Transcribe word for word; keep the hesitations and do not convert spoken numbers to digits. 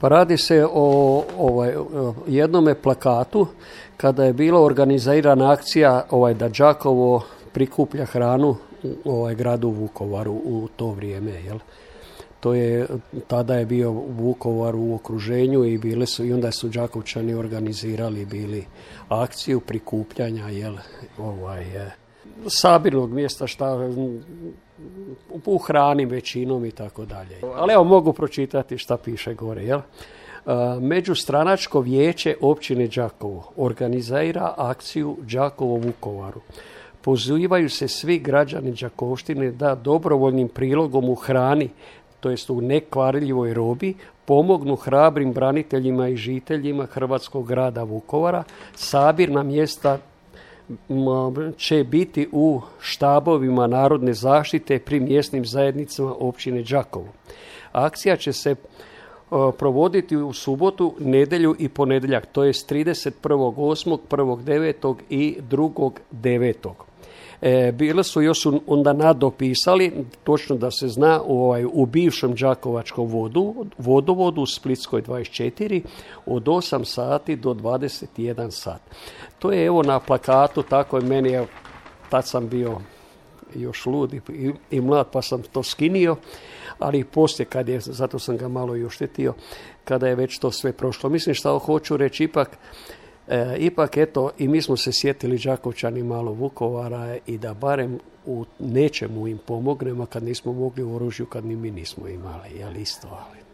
Pa radi se o ovaj, jednome plakatu kada je bila organizirana akcija ovaj, da Đakovo prikuplja hranu u ovaj, gradu Vukovaru u to vrijeme. Jel? To je, tada je bio Vukovar u okruženju i bile su, i onda su Đakovčani organizirali bili akciju prikupljanja jel, ovaj, sabirnog mjesta šta u hrani većinom i tako dalje. Ali evo mogu pročitati šta piše gore. Jel? Međustranačko vijeće općine Đakovo organizira akciju Đakovo Vukovaru. Pozivaju se svi građani Đakovštine da dobrovoljnim prilogom u hrani, to jest u nekvarljivoj robi, pomognu hrabrim braniteljima i žiteljima hrvatskog grada Vukovara. Sabirna mjesta će biti u štabovima narodne zaštite pri mjesnim zajednicama općine Đakovo. Akcija će se provoditi u subotu, nedjelju i ponedjeljak, to jest trideset prvog osmog, prvog devetog i drugog devetog. E, bile su još onda nadopisali, točno da se zna, u, ovaj, u bivšem Đakovačkom vodu, vodovodu u Splitskoj dvadeset četiri od osam sati do dvadeset jedan sat. To je evo na plakatu, tako je meni, evo, tad sam bio još lud i, i mlad pa sam to skinio, ali poslije kad je, zato sam ga malo i oštetio, kada je već to sve prošlo. Mislim što hoću reći, ipak E, ipak eto i mi smo se sjetili Đakovčani malo Vukovara i da barem u nečemu im pomognemo kad nismo mogli u oružju, kad ni mi nismo imali, jel isto, ali